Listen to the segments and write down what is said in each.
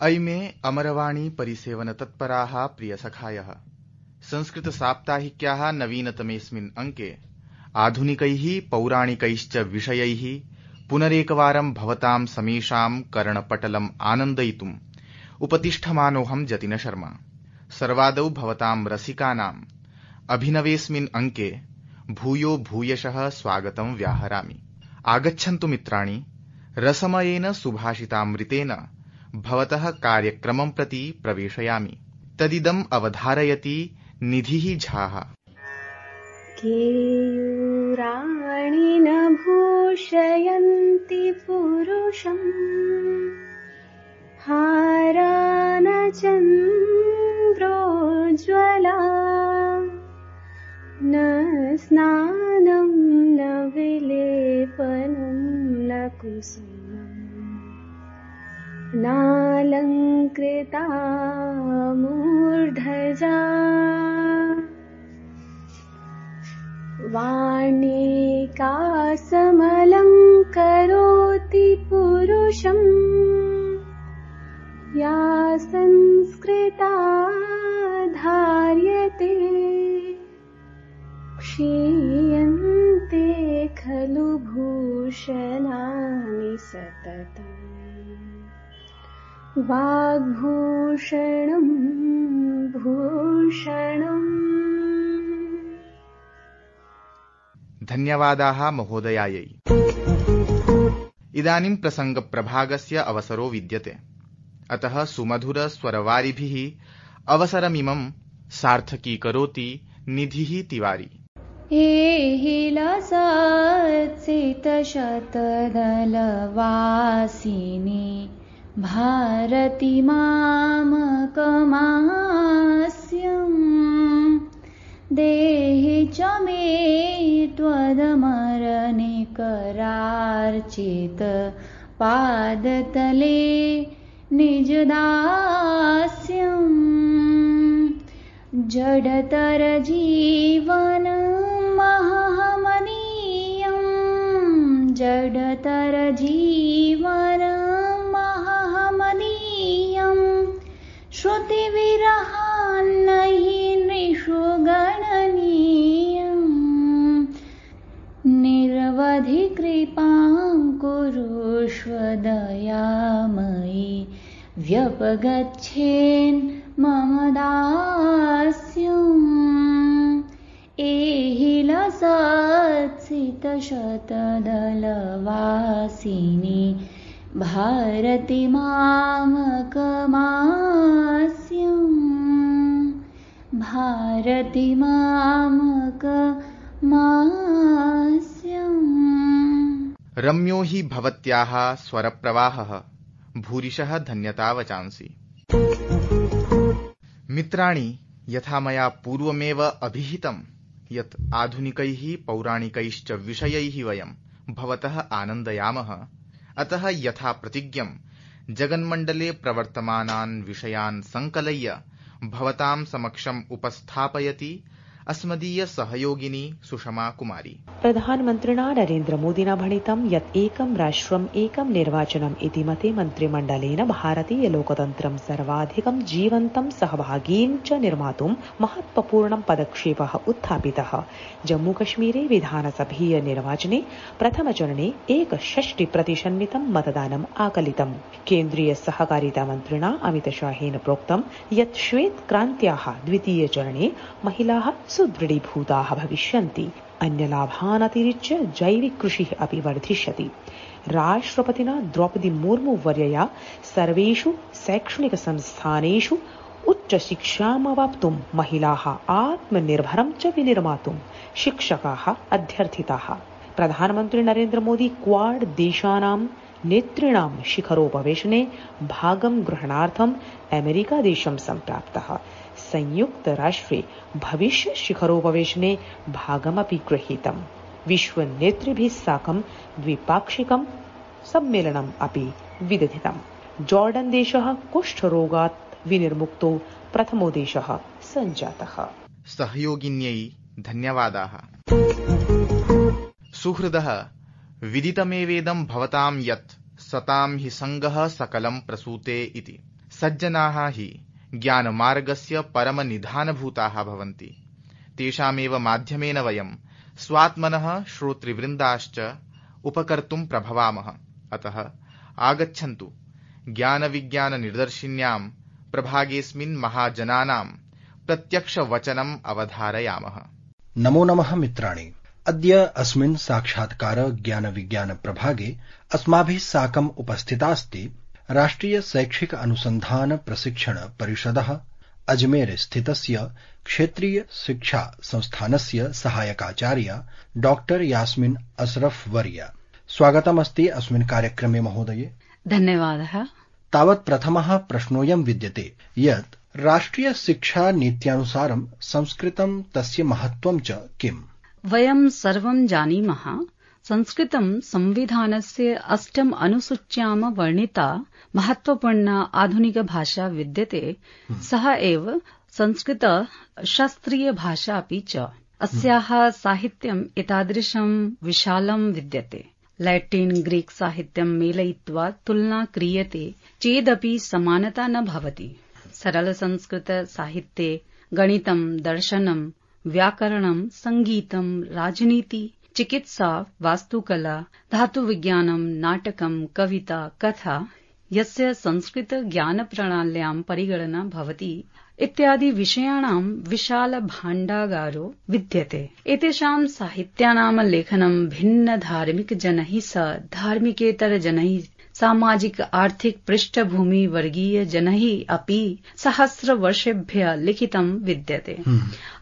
अयि मे अमरवाणी परिसेवन तत्पराः प्रियसखायः संस्कृतसाप्ताहिक्याः नवीनतमेऽस्मिन् अङ्के आधुनिकैः पौराणिकैश्च विषयैः पुनरेकवारं भवतां समेषां कर्णपटलम् आनन्दयितुम् उपतिष्ठमानोऽहं जतिन शर्मा। सर्वादौ भवतां रसिकानाम् अभिनवेऽस्मिन् अङ्के भूयो भूयशः स्वागतं व्याहरामि। आगच्छन्तु मित्राणि, रसमयेन सुभाषितामृतेन भवतः कार्यक्रमं प्रति प्रवेशयामि। तदिदम् अवधारयति निधिः झाः। केयूराणि न भूषयन्ति पुरुषम्, हारा न चन्द्रोज्ज्वला, न स्नानं न विलेपनं न कुसुमम्, नालङ्कृता मूर्धजा, वाणिकासमलङ्करोति पुरुषम्, या संस्कृता धार्यते, क्षीयन्ते खलु भूषणानि सततम्, वाग्भूषणं भूषणम्। धन्यवादाः महोदयायै। इदानीं प्रसङ्गप्रभागस्य अवसरो विद्यते, अतः सुमधुरस्वरवारिभिः अवसरमिमं सार्थकीकरोति निधिः तिवारी। एहिलसत्सितशतदलवासिनी भारती मामकमास्यम्, देहि च मे त्वदमरनिकरार्चित पादतले निजदास्यम्, जडतर जीवनं महमनीयम्, जडतर जीवनं महमनीयम्, श्रुतिविरहान्नहि नृषु गणनीयम्, निरवधि कृपां कुरुष्व दयामयि, व्यपगच्छेन् मम दास्यम्, एहिलसत्सितशतदलवासिनी भारती मामकमास्यम्, भारती मामकमास्यम्। रम्यो हि भवत्याः स्वरप्रवाहः, भूरिशः धन्यता वचांसि। मित्राणि, यथा मया पूर्वमेव अभिहितं यत् आधुनिकैः पौराणिकैश्च विषयैः वयं भवतः आनन्दयामः, अतः यथा प्रतिज्ञं जगन्मण्डले प्रवर्तमानान् विषयान् संकलय्य भवतां समक्षम् उपस्थापयति अस्मदीय सहयोगिनी सुषमा कुमारी। प्रधानमन्त्रिणा नरेन्द्र मोदिना भणितं यत् एकं राष्ट्रम् एकं निर्वाचनम् इति मते मन्त्रिमण्डलेन भारतीय लोकतन्त्रं सर्वाधिकं जीवन्तं सहभागीं च निर्मातुं महत्वपूर्णं पदक्षेपः उत्थापितः। जम्मूकश्मीरे विधानसभीय निर्वाचने प्रथमचरणे 61% मतदानम् आकलितम्। केन्द्रीय सहकारिता मन्त्रिणा अमितशाहेन प्रोक्तं यत् श्वेतक्रान्त्याः द्वितीयचरणे महिलाः सुदृढीभूताः भविष्यन्ति। अन्यलाभान् अतिरिच्य जैविक कृषिः अपि वर्धिष्यति। राष्ट्रपतिना द्रौपदी मुर्मू वर्यया सर्वेषु शैक्षणिक संस्थानेषु उच्चशिक्षामवाप्तुं महिलाः आत्मनिर्भरं च विनिर्मातुं शिक्षकाः अध्यर्थिताः। प्रधानमन्त्री नरेन्द्र मोदी क्वाड देशानां नेतॄणां शिखरोपवेशने भागं ग्रहणार्थम् अमेरिका देशं सम्प्राप्तः। संयुक्त राष्ट्रे भविष्य शिखरोपवेशने भागमपि गृहीतम्। विश्व नेतृभिः साकं द्विपाक्षिकं सम्मेलनम् अपि विदधितम्। जॉर्डन देशः कुष्ठरोगात् विनिर्मुक्तो प्रथमो देशः सञ्जातः। सहयोगिन्यै धन्यवादाः। सुहृदः, विदितमेवेदं भवतां यत् सतां हि संगः सकलं प्रसूते इति। सज्जनाः हि ज्ञानमार्गस्य परमनिधानभूताः भवन्ति। तेषामेव माध्यमेन वयं स्वात्मनः श्रोतृवृन्दाश्च उपकर्तुं प्रभवामः। अतः आगच्छन्तु ज्ञानविज्ञाननिदर्शिन्यां प्रभागेऽस्मिन् महाजनानां प्रत्यक्षवचनम् अवधारयामः। नमो नमः मित्राणि। अद्य अस्मिन् साक्षात्कार ज्ञानविज्ञान प्रभागे अस्माभिः साकम् उपस्थितास्ति राष्ट्रिय शैक्षिक अनुसन्धान प्रशिक्षण परिषदः अजमेर स्थितस्य क्षेत्रीय शिक्षा संस्थानस्य सहायकाचार्या डॉक्टर यास्मिन अशरफ वर्या। स्वागतमस्ति अस्मिन् कार्यक्रमे महोदये। धन्यवादः। तावत् प्रथमः प्रश्नोऽयं विद्यते यत् राष्ट्रिय शिक्षा नीत्यानुसारं संस्कृतं तस्य महत्त्वं च किम्? वयं सर्वं जानीमः संस्कृतं संविधानस्य 8 अनुसूच्यां वर्णिता महत्त्वपूर्णा आधुनिकभाषा विद्यते। सः एव संस्कृत शास्त्रीयभाषा अपि च। अस्याः साहित्यम् एतादृशं विशालं विद्यते। लैटिन् ग्रीक् साहित्यं मेलयित्वा तुलना क्रियते चेदपि समानता न भवति। सरल संस्कृत साहित्ये गणितं, दर्शनं, व्याकरणं, संगीतं, राजनीति, चिकित्सा, वास्तुकला, धातुविज्ञानं, नाटकं, कविता, कथा यस्य संस्कृत ज्ञानप्रणाल्यां परिगणना भवति इत्यादि विषयाणां विशाल भाण्डागारो विद्यते। एतेषां साहित्यानां लेखनं भिन्न धार्मिक जनैः सह धार्मिकेतर जनैः सामाजिक आर्थिक पृष्ठभूमि वर्गीय जनैः अपि सहस्रवर्षेभ्यः लिखितं विद्यते।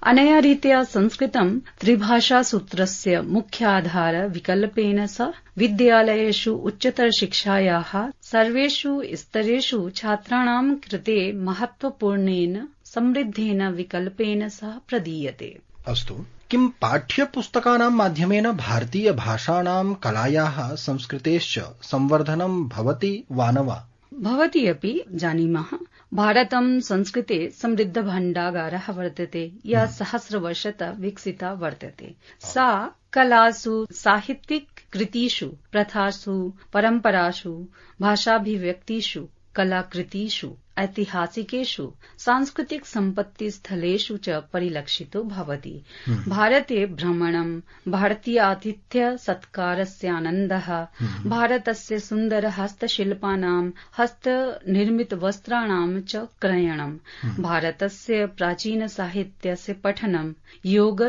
अनया रीत्या संस्कृतं त्रिभाषासूत्रस्य मुख्याधार विकल्पेन सह विद्यालयेषु उच्चतर शिक्षायाः सर्वेषु स्तरेषु छात्राणां कृते महत्त्वपूर्णेन समृद्धेन विकल्पेन सह प्रदीयते। अस्तु, किं पाठ्यपुस्तकानां माध्यमेन भारतीय भाषाणां कलायाः संस्कृतेश्च संवर्धनं भवति वा न वा? भवति अपि जानीमः। भारतं संस्कृते समृद्धभाण्डागारः वर्तते, या सहस्रवर्षतः विकसिता वर्तते। सा कलासु, साहित्यिक कृतिषु, प्रथासु, परम्परासु, भाषाभिव्यक्तिषु, कलाकृतिषु, ऐतिहासिकेषु, सांस्कृतिक सम्पत्तिस्थलेषु च परिलक्षितो भवति। भारते भ्रमणं, भारतीयातिथ्य सत्कारस्य आनन्दः, भारतस्य सुन्दर हस्तशिल्पानां, हस्तनिर्मितवस्त्राणां च क्रयणं, भारतस्य प्राचीन साहित्यस्य पठनं, योग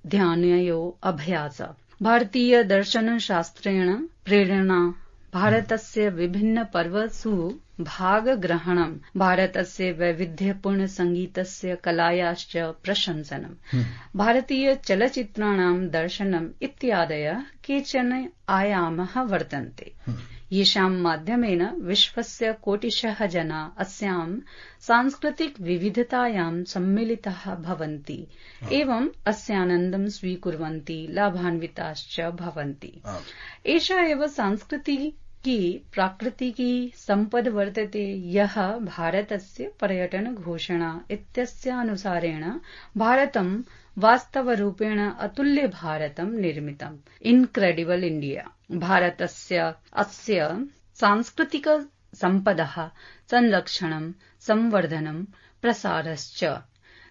ध्यानयो अभ्यास, भारतीय दर्शनशास्त्रेण प्रेरणा, भारतस्य विभिन्न पर्वसु भागग्रहणं, भारतस्य वैविध्यपूर्ण संगीतस्य कलायाश्च प्रशंसनं, भारतीय चलच्चित्राणां दर्शनम् इत्यादयः केचन आयामः वर्तन्ते। येषां माध्यमेन विश्वस्य कोटिशः जना अस्यां सांस्कृतिक विविधतायां सम्मिलिताः भवन्ति एवं अस्यानन्दं स्वीकुर्वन्ति, लाभान्विताश्च भवन्ति। एषा एव सांस्कृतिकी प्राकृतिकी सम्पद् वर्तते, यः भारतस्य पर्यटन घोषणा इत्यस्य अनुसारेण भारतं वास्तवरूपेण अतुल्य भारतं निर्मितम्, इन्क्रेडिबल इण्डिया। भारतस्य अस्य सांस्कृतिक सम्पदः संरक्षणं, संवर्धनं, प्रसारश्च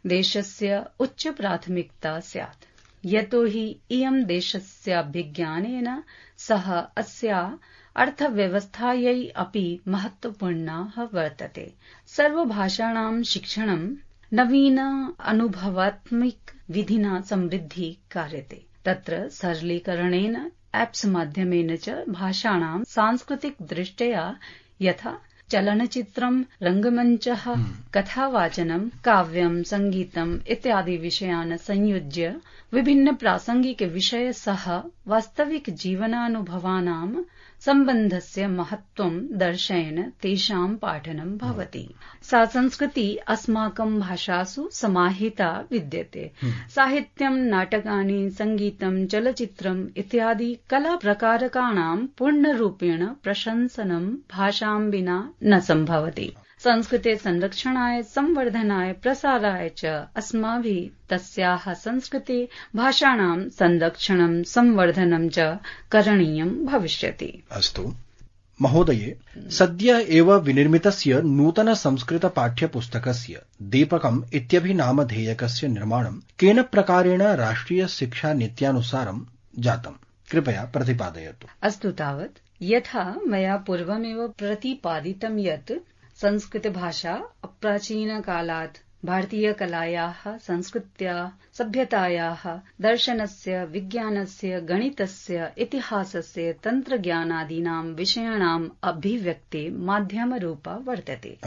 देशस्य उच्च प्राथमिकता स्यात्, यतो हि इयं देशस्याभिज्ञानेन सह अस्या अर्थव्यवस्थायै अपि महत्वपूर्णः वर्तते। सर्वभाषाणां शिक्षणं नवीन अनुभवात्मक विधिना समृद्धि कार्यते। तत्र सरलीकरणेन एप्स् माध्यमेन च भाषाणां सांस्कृतिक दृष्ट्या यथा चलनचित्रं, रङ्गमञ्चः, कथावाचनं, काव्यं, सङ्गीतम् इत्यादि विषयान् संयुज्य विभिन्न प्रासंगिक विषय सह वास्तविक जीवनानुभवानां सम्बन्धस्य महत्त्वं दर्शयन् तेषां पाठनं भवति। सा संस्कृति अस्माकं भाषासु समाहिता विद्यते। साहित्यं, नाटकानि, सङ्गीतं, चलच्चित्रम् इत्यादि कलाप्रकारकाणां पूर्णरूपेण प्रशंसनं भाषां विना न सम्भवति। संस्कृते संरक्षणाय, संवर्धनाय, प्रसाराय च अस्माभिः तस्याः संस्कृते भाषाणां संरक्षणं, संवर्धनं च करणीयं भविष्यति। अस्तु, महोदये, सद्य एव विनिर्मितस्य नूतन संस्कृत पाठ्यपुस्तकस्य दीपकम् इत्यभिनामधेयकस्य निर्माणं केन प्रकारेण राष्ट्रिय शिक्षा नीत्यानुसारं जातम्? कृपया प्रतिपादयतु। अस्तु तावत् यथा मया पूर्वमेव प्रतिपादितं यत् संस्कृतभाषा अप्राचीनकालात् भारतीयकलायाः, संस्कृत्याः, सभ्यतायाः, दर्शनस्य, विज्ञानस्य, गणितस्य, इतिहासस्य, तन्त्रज्ञानादीनां विषयाणाम् अभिव्यक्ते माध्यमरूपा वर्तते।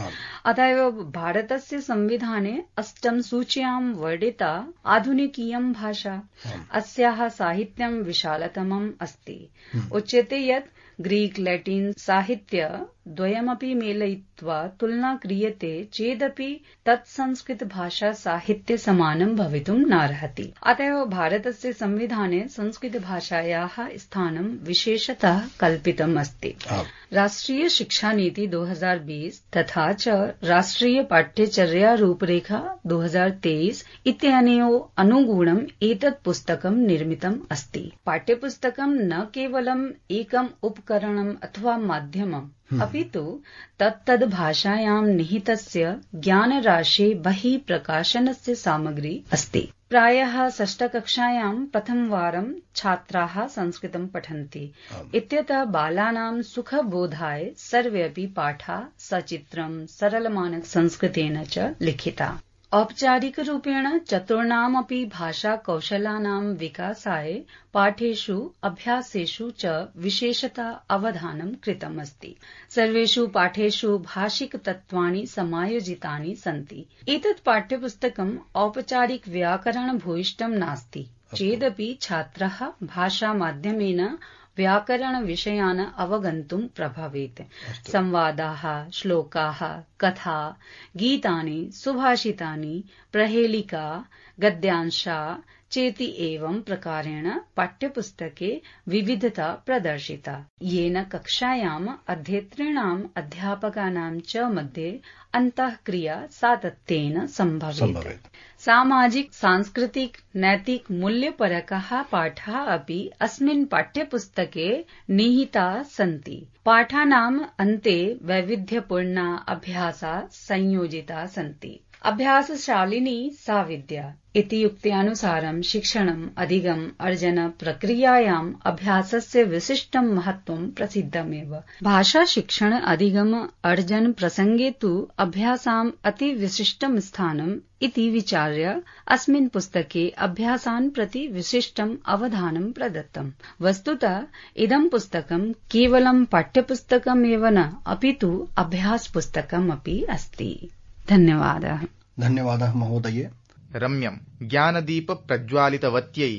अत एव भारतस्य संविधाने 8 सूच्यां वर्णिता आधुनिकीयं भाषा। अस्याः साहित्यं विशालतमम् अस्ति। उच्यते यत् ग्रीक लैटिन साहित्य द्वयमपि मेलयित्वा तुलना क्रियते चेदपि तत् संस्कृत भाषा साहित्य समानं भवितुं नार्हति। अतः भारतस्य संविधाने संस्कृत भाषायाः स्थानं विशेषतः कल्पितम् अस्ति। राष्ट्रिय शिक्षा नीति 2020 तथा च राष्ट्रिय पाठ्यचर्या रूपरेखा 2023 इत्यनयोः अनुगुणम् एतत् पुस्तकं निर्मितम् अस्ति। पाठ्यपुस्तकं न केवलम् एकम् उपकरणम् अथवा माध्यमम् अपितु तत्तद् भाषायां निहितस्य ज्ञानराशे बहिः प्रकाशनस्य सामग्री अस्ति। प्रायः 6ष्ठ कक्षायां प्रथमवारं छात्राः संस्कृतं पठन्ति। इत्यतः बालानां सुखबोधाय सर्वेऽपि पाठाः सचित्रं सरलमानक संस्कृतेन च लिखिता। औपचारिकरूपेण चतुर्णामपि भाषाकौशलानां विकासाय पाठेषु अभ्यासेषु च विशेषतः अवधानं कृतमस्ति। सर्वेषु पाठेषु भाषिकतत्त्वानि समायोजितानि सन्ति। एतत् पाठ्यपुस्तकम् औपचारिक व्याकरण भूयिष्ठं नास्ति चेदपि छात्रः भाषामाध्यमेन व्याकरणविषयान् अवगन्तुं प्रभवेत्। संवादाः, श्लोकाः, कथा, गीतानि, सुभाषितानि, प्रहेलिका, गद्यांशा चेति एवं प्रकारेण पाठ्यपुस्तके विविधता प्रदर्शिता, येन कक्षायाम् अध्येतॄणाम् अध्यापकानां च मध्ये अन्तःक्रिया सातत्येन सम्भवेत्। सामाजिक, सांस्कृतिक, नैतिक मूल्यपरकाः पाठाः अपि अस्मिन् पाठ्यपुस्तके निहिताः सन्ति। पाठानाम् अन्ते वैविध्यपूर्णा अभ्यासाः संयोजिताः सन्ति। अभ्यासशालिनी सा विद्या इति युक्त्यानुसारं शिक्षणम् अधिगम अर्जन प्रक्रियायाम् अभ्यासस्य विशिष्टं महत्त्वं प्रसिद्धमेव। भाषा शिक्षण अधिगम अर्जन प्रसंगे तु अभ्यासाम् अति विशिष्टं स्थानम् इति विचार्य अस्मिन् पुस्तके अभ्यासान् प्रति विशिष्टम् अवधानं प्रदत्तम्। वस्तुतः इदं पुस्तकं केवलं पाठ्यपुस्तकमेव न अपितु अभ्यासपुस्तकम् अपि अस्ति। धन्यवादः। धन्यवादः महोदये। रम्यं ज्ञानदीप प्रज्वालितवत्यै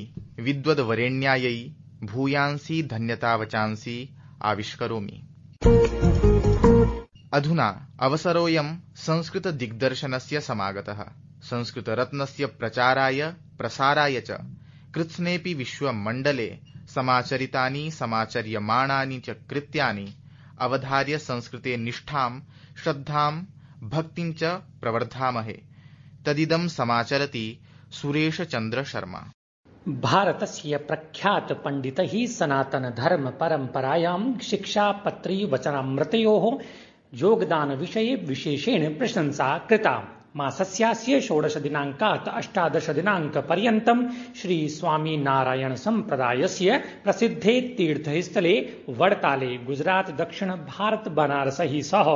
विद्वद्वरेण्यायै भूयांसि धन्यतावचांसि आविष्करोमि। अधुना अवसरोऽयं संस्कृत दिग्दर्शनस्य समागतः। संस्कृतरत्नस्य प्रचाराय प्रसाराय च कृत्स्नेऽपि विश्वमण्डले समाचरितानि समाचर्यमाणानि च कृत्यानि अवधार्य संस्कृते निष्ठां श्रद्धां भक्तिं च प्रवर्धामहे। तदिदं समाचरति सुरेश चंद्र शर्मा। भारतस्य प्रख्यात पंडितैः सनातन धर्म परंपरायां शिक्षापत्री वचनामृतयोः योगदान विषये विशेषेण प्रशंसा कृता। मासस्यास्य 16 दिनाङ्कात् 18 दिनाङ्कपर्यन्तं श्री स्वामी नारायण सम्प्रदायस्य प्रसिद्धे तीर्थस्थले वडताले गुजरात दक्षिण भारत बनारसैः सह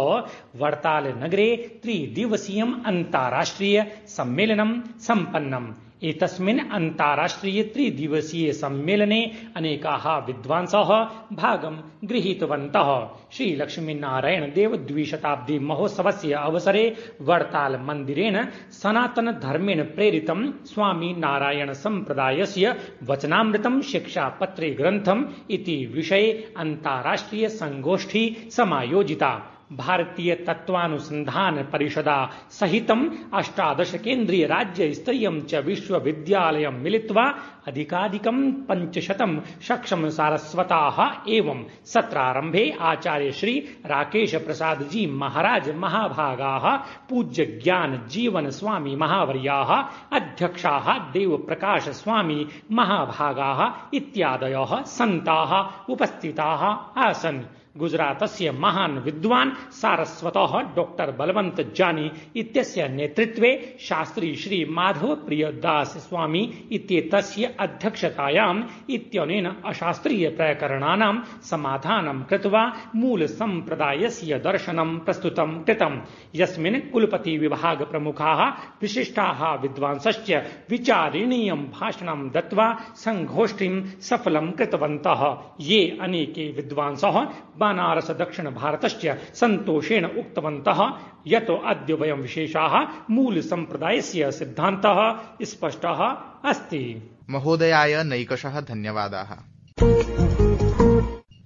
वडताल नगरे 3 दिवसीयम् अन्ताराष्ट्रिय सम्मेलनं सम्पन्नम्। एतस्मिन् अन्ताराष्ट्रिय 3 दिवसीय सम्मेलने अनेकाः विद्वांसः भागं गृहीतवन्तः। श्री लक्ष्मीनारायण देव द्विशताब्दी महोत्सवस्य अवसरे वडताल मन्दिरेण सनातन धर्मेण प्रेरितं स्वामी नारायण सम्प्रदायस्य वचनामृतं शिक्षापत्रे ग्रन्थम् इति विषये अन्ताराष्ट्रिय संगोष्ठी समायोजिता। भारतीय तत्वानुसंधान परिषदा सहितं 18 केन्द्रीय राज्य स्तरीयं च विश्वविद्यालयं मिलित्वा अधिकाधिकं 500 सक्षम सारस्वताः एवं सत्रारम्भे आचार्य श्री राकेश प्रसाद जी महाराज महाभागाः पूज्य ज्ञान जीवन स्वामी महावर्याः अध्यक्षाः देव प्रकाश स्वामी महाभागाः इत्यादयः सन्ताः उपस्थिताः आसन्। गुजरातस्य महान् विद्वान् सारस्वतः डॉक्टर बलवंत जानी इत्यस्य नेतृत्वे शास्त्री श्री माधव प्रियदास स्वामी इत्येतस्य अध्यक्षतायाम् इत्यनेन अशास्त्रीय प्रकरणानां समाधानं कृत्वा मूल सम्प्रदायस्य दर्शनं प्रस्तुतं कृतम्, यस्मिन् कुलपति विभाग प्रमुखाः विशिष्टाः विद्वांसश्च विचारणीयं भाषणं दत्त्वा संगोष्ठीं सफलं कृतवन्तः। ये अनेके विद्वांसः बनारस दक्षिण भारतश्च सन्तोषेण उक्तवन्तः यतो अद्य वयं विशेषाः मूल सम्प्रदायस्य सिद्धान्तः स्पष्टः अस्ति। महोदयाय नैकशः धन्यवादाः।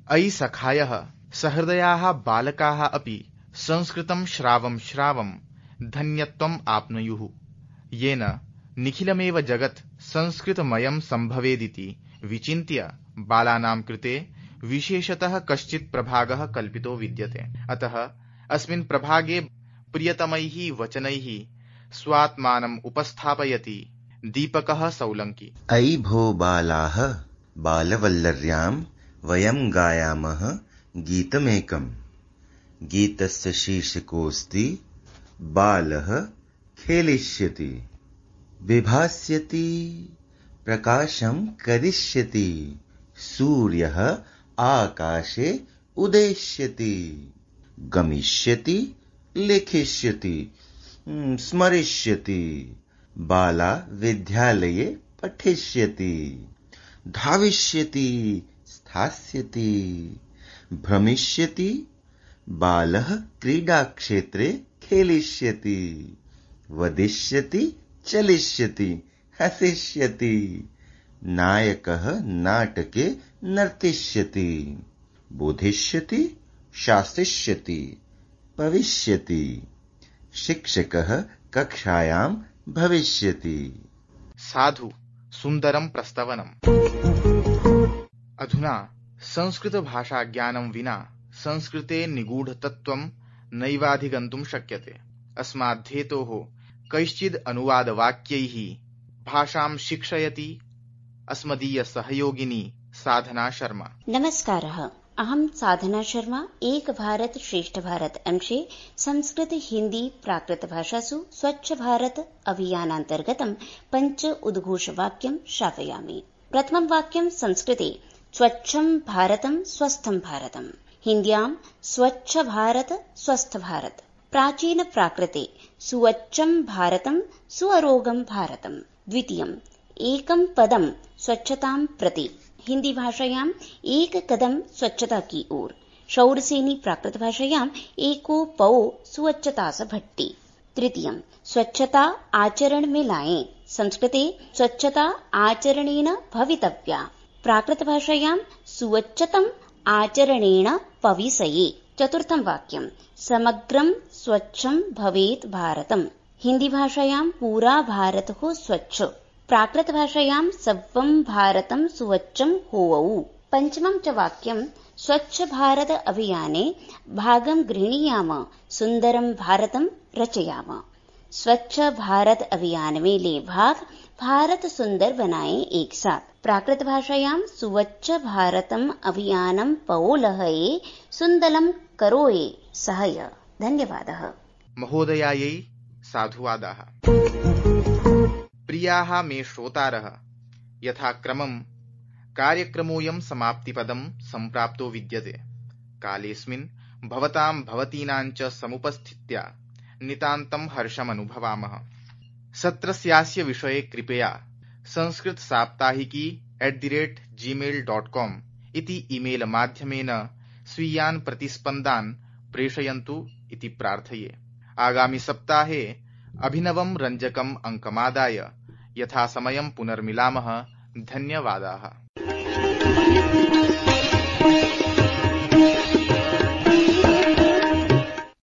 अयि सखायः सहृदयाः बालकाः अपि संस्कृतं श्रावं धन्यत्वम् आप्नुयुः, येन निखिलमेव जगत् संस्कृतमयं सम्भवेदिति विचिन्त्य बालानां कृते विशेषतः कश्चित् प्रभागः कल्पितो विद्यते। अतः अस्मिन् प्रभागे प्रियतमैः वचनैः स्वात्मानम् उपस्थापयति दीपकः सौलङ्की। अयि भो बालाः, बालवल्लर्यां वयं गायामः गीतमेकम्। गीतस्य शीर्षकोऽस्ति बालः खेलिष्यति, विभास्यति, प्रकाशं करिष्यति, सूर्यः आकाशे उदेष्यति, गमिष्यति, लिखिष्यति, स्मरिष्यति, बाला विद्यालये पठिष्यति, धाविष्यति, स्थास्यति, भ्रमिष्यति, बालः क्रीडाक्षेत्रे खेलिष्यति, वदिष्यति, चलिष्यति, हसिष्यति, नायकः नाटके नर्तिष्यति, बोधिष्यति, शासिष्यति, पविष्यति, शिक्षकः कक्षायां भविष्यति। साधु सुन्दरं प्रस्तवनम्। अधुना संस्कृत भाषा ज्ञानं विना संस्कृते निगूढतत्त्वं नैवाधिगन्तुं शक्यते। अस्माद्धेतोः कैश्चिद् अनुवादवाक्यैः भाषां शिक्षयति अस्मदीय सहयोगिनी साधना शर्मा। नमस्कारः, अहं साधना शर्मा। एक भारत श्रेष्ठ भारत अंशे संस्कृत हिंदी प्राकृत भाषासु स्वच्छ भारत अभियानान्तर्गतं 5 उद्घोषवाक्यं श्रावयामि। प्रथमं वाक्यं संस्कृते स्वच्छं भारतं स्वस्थं भारतम्, हिन्द्यां स्वच्छ भारत स्वस्थ भारत। प्राचीन प्राकृते सुवच्छं भारतं सुअरोगं भारतम्। द्वितीयम् एकं पदं स्वच्छतां प्रति, हिंदी भाषायां एक कदम स्वच्छता की ओर। शौरसेनी प्राकृत भाषायां एको पौ स्वच्छता स भट्टी। तृतीयं स्वच्छता आचरण में लाएं, संस्कृते स्वच्छता आचरणेन भवितव्या। प्राकृत भाषायां सुवच्छतम् आचरणेन पविसये। चतुर्थं वाक्यं समग्रं स्वच्छं भवेत् भारतम्, हिंदी भाषायां पूरा भारत हो स्वच्छ। प्राकृत भाषायां सर्वं भारतं सुवच्छं होवौ। पंचमं च वाक्यं स्वच्छ भारत अभियाने भागं गृह्णीयाम, सुंदरं भारतं रचयाम। स्वच्छ भारत अभियान में ले भाग, भारत सुंदर बनाए एक साथ। प्राकृत भाषायां सुवच्छ भारतम् अभियानं पवोलहये, सुन्दरं करोये सहय। धन्यवादः। महोदयायै साधुवादाः। प्रियाः मे श्रोतारः, यथाक्रमं कार्यक्रमोऽयं समाप्तिपदं सम्प्राप्तो विद्यते। कालेऽस्मिन् भवतां भवतीनां च समुपस्थित्या नितान्तं हर्षमनुभवामः। सत्रस्यास्य विषये कृपया sanskritsaप्ताहिकी@gmail.com इति ईमेल माध्यमेन स्वीयान् प्रतिस्पन्दान् प्रेषयन्तु इति प्रार्थये। आगामि सप्ताहे अभिनवं रञ्जकम् अङ्कमादाय यथासमयं पुनर्मिलामः। धन्यवादाः।